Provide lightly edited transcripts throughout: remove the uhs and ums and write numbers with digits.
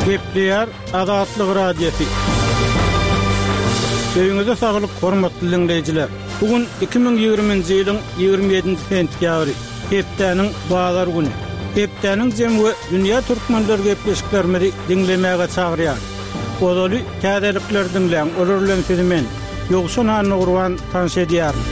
Gepleýär Azatlyk Radiosy. Öýüňize saglyk, hormatly diňleýjiler! Bu gün 2020-nji ýylyň 27-nji sentýabry, hepdäniň bazar güni. Hepdäniň jemi we dünýä türkmenleri gepleşiklerimizi diňlemäge çagyrýarys. Ozaly täzelikleri diňläň, olar bilen sizi men, Ýowşan Annagurban tanyş edýärin.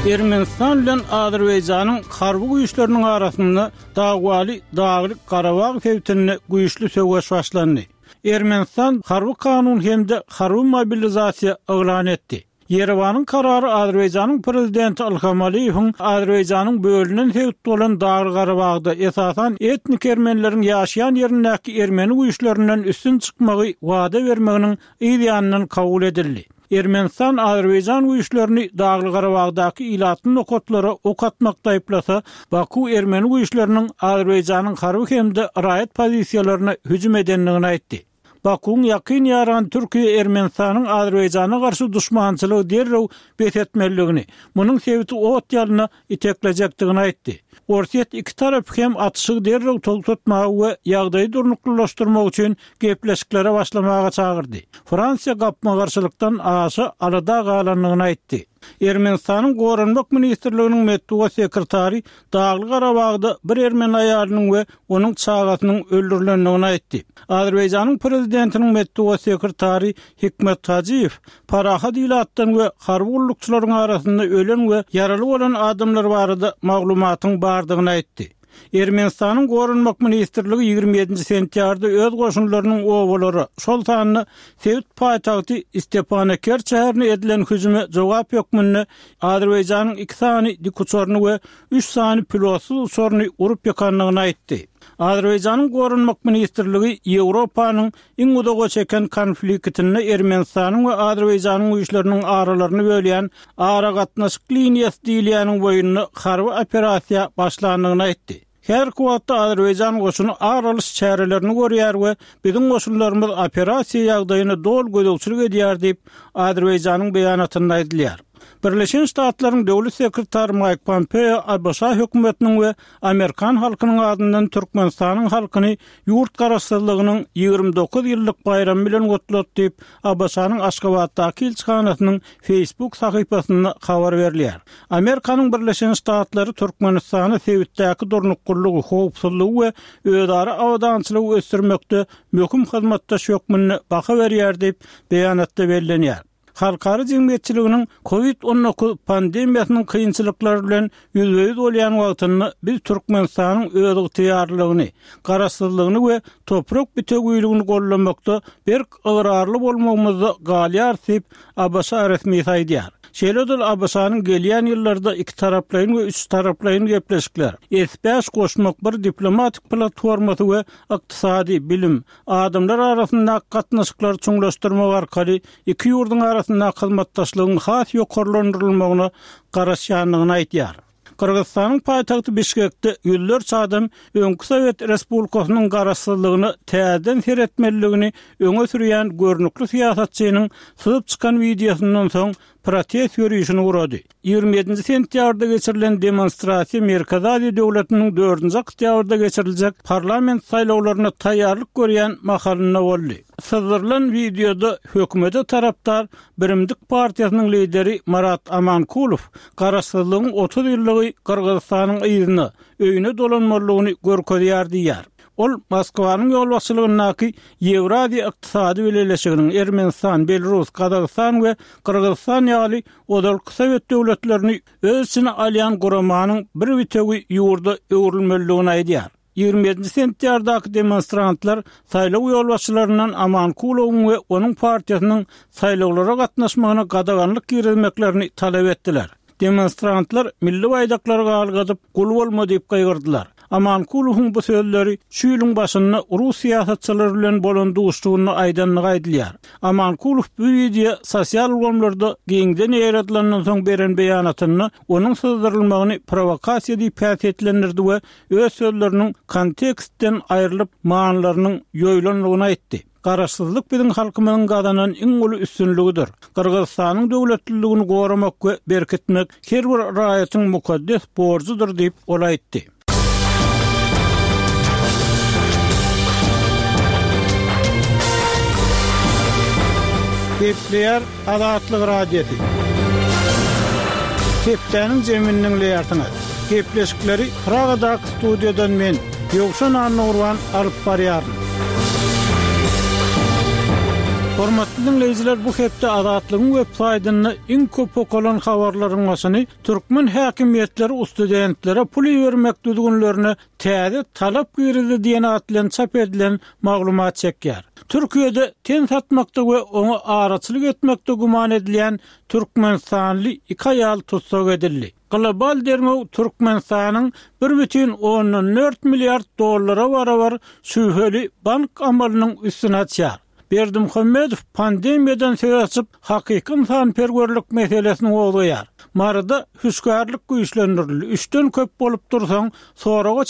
Ermenistan bilen Azerbaýjanyň harby güýçleriniň arasynda Dagwaly Daglyk Garabag sebitinde güýçli söweş başlandy. Ermenistan harby kanun hem-de harby mobilizasiýa yglan etdi. Ýerewanyň karary Azerbaýjanyň prezidenti Ilham Aliýewiň Azerbaýjanyň bölünen sebit bolan Dagly-Garabagda, esasan, etnik ermenileriň ýaşaýan ýerindäki ermeni güýçlerinden üstün çykmagy wada bermeginiň yz ýanyndan kabul edildi. Ermenistan azerbaýjan güýçlerini Dagly-Garabagdaky ilatly nokatlara ok atmakda aýyplasa, Baku ermeni güýçleriniň Azerbaýjanyň harby hem-de raýat pozisiýalaryna hüjüm edendigini aýtdy. Bakuwyň ýakyn ýarany Türkiýe Ermenistanyň Azerbaýjana garşy duşmançylygy derrew bes etmelidigini, munuň sebiti ot ýalyna iteklejekdigini aýtdy. Orsýet iki tarapy hem atyşygy derrew togtatmaga we ýagdaýy durnuklylaşdyrmak üçin gepleşiklere başlamaga çagyrdy. Fransiýa gapma-garşylykdan aşa alada galandygyny aýtdy. Ermenistanyň Goranmak ministrliginiň metbugat sekretary Dagly-Garabagda bir ermeni aýalynyň we onuň çagasynyň öldürilendigini aýtdy. Azerbaýjanyň prezidentiniň metbugat sekretary Hikmet Hajyýew parahat ilatdan we harby gullukçylaryň arasynda ölen we ýaraly bolan adamlar barada maglumatyň bardygyny aýtdy. Ermenistanyň Goranmak ministrligi 27-nji sentýabrda öz goşunlarynyň obalara, şol sanda sebit paýtagty Stepanakert şäherine edilen hüjüme jogap hökmünde Azerbaýjanyň iki sany dikuçaryny we üç sany pilotsyz uçaryny urup ýykandygyny aýtdy. Azerbaýjanyň Goranmak ministrligi Ýewropanyň Iň uzaga çeken konfliktinde Ermenistanyň we Azerbaýjanyň güýçleriniň aralaryny bölýän aragatnaşyk liniýasy diýilýäniň boýunda harby operasiýa başlandygyny aýtdy. Häzirki wagtda Azerbaýjan goşuny ar alyş çärelerini görýär we biziň goşunlarymyz operasiýa ýagdaýyna doly gözegçilik edýär diýip, Azerbaýjanyň beýanatynda aýdylýar. Birleşen Ştatlaryň Döwlet sekretary Maýk Pompeo ABŞ hökümetiniň we amerikan halkynyň adyndan Türkmenistanyň halkyny ýurt Garaşsyzlygynyň 29 ýyllyk baýramy bilen gutlady diýip, ABŞ-nyň Aşgabatdaky ilçihanasynyň Facebook sahypasynda habar berilýär. Amerikanyň Birleşen Ştatlary Türkmenistany sebitdäki durnuklylygy, howpsuzlygy we özara abadançylygy ösdürmekde möhüm hyzmatdaş hökmünde baha berýär diýip, beýanatda bellenýär. Halkara jemgyýetçiliginiň Covid 19 pandemiýasynyň kynçylyklary bilen ýüzbe-ýüz bolýan wagtynda biz Türkmenistanyň özygtyýarlylygyny, garaşsyzlygyny we toprak bitewiligini goldamakda berk ygrarly bolmagymyzda galýarys diýip, ABŞ resmisi aýdýar. Şeýle-de ol ABŞ-nyň gelýän ýyllarda ikitaraplaýyn we üçtaraplaýyn gepleşikler, S bäş goşmak bir diplomatik platformasy we ykdysady, bilim, adamlar arasyndaky gatnaşyklary çuňlaşdyrmak arkaly iki ýurduň arasyndaky hyzmatdaşlygyň has ýokarlandyrylmagyna garaşýandygyny aýdýar. Gyrgyzystanyň paýtagty Bişkekde ýüzlerçe adam öňki sowet respublikasynyň garaşsyzlygyna täzeden seretmelidigini öňe sürýän görnükli syýasatçynyň syzyp çykan wideosyndan soň protest ýörişini gurady. 27-nji sentýabrda geçirilen demonstrasiýa Merkezi Aziýa döwletiniň dördünji oktýabrda geçiriljek parlament saýlawlaryna taýýarlyk görýän mahalynda boldy. Syzdyrylan wideoda hökümete tarapdar Birimdik partiýasynyň lideri Marat Amankulow garaşsyzlygyň 30 ýyllygy Gyrgyzystanyň yzyna, öýüne dolanmalydygyny görkezýär diýýär. Ol Moskwanyň ýolbaşçylygyndaky Ýewraziýa Ykdysady Bileleşiginiň Ermenistan, Belarus, Gazagystan we Gyrgyzystan ýaly ozalky sowet döwletlerini öz içine alýan guramanyň bir bitewi ýurda öwrülmelidigini aýdýar. 27-nji sentýardaky demonstrantlar saýlaw ýolbaşçylaryndan Amankulowyň we onuň partiýasynyň saýlawlara gatnaşmagyna gadaganlyk girizmeklerini talap etdiler. Demonstrantlar milli baýdaklary galgadyp, Gul bolma diýip gygyrdylar. Amankulowyň bu sözleri şu ýylyň başynda rus syýasatçylary bilen bolan duşuşygynda aýdandygy aýdylýar. Amankulow bu wideo sosial ulgamlarda giňden ýaýradylandan soň beren beýanatynda onuň syzdyrylmagyny prowokasiýa diýip häsiýetlendirdi we öz sözleriniň kontekstden aýrylyp, manylarynyň ýoýulandygyny aýtdy. Garaşsyzlyk biziň halkymyzyň gazanan iň uly üstünligidir. Gyrgyzystanyň döwletliligini goramak we berkitmek her bir raýatyň mukaddes borjudyr diýip, ol aýtdy. Gepleýär Azatlyk Radiosy. Hepdäniň jemini diňleýärsiňiz. Gepleşikleri Pragadaky studiýadan men, Ýowşan Annagurban alyp barýaryn. Hormatly diňleýjiler, bu hepde Azatlygyň web saýtynda iň köp okalan habarlaryň başyny türkmen häkimiýetleri studentlere pul ibermek düzgünlerine täze talap girizdi diýen at bilen çap edilen maglumat çekýär. Türkiýede ten satmakda we oňa araçylyk etmekde güman edilýän türkmenistanly iki aýal tussag edildi. Global derňew Türkmenistanyň bir bütin ondan dört milliard dollara barabar şübheli bank amalynyň üstüni açýar. Berdimuhamedow pandemiýadan söz açyp, hakyky ynsanperwerlik meselesini gozgaýar. Maryda hüşgärlik güýçlendirildi, üçden köp bolup dursaň, soraga.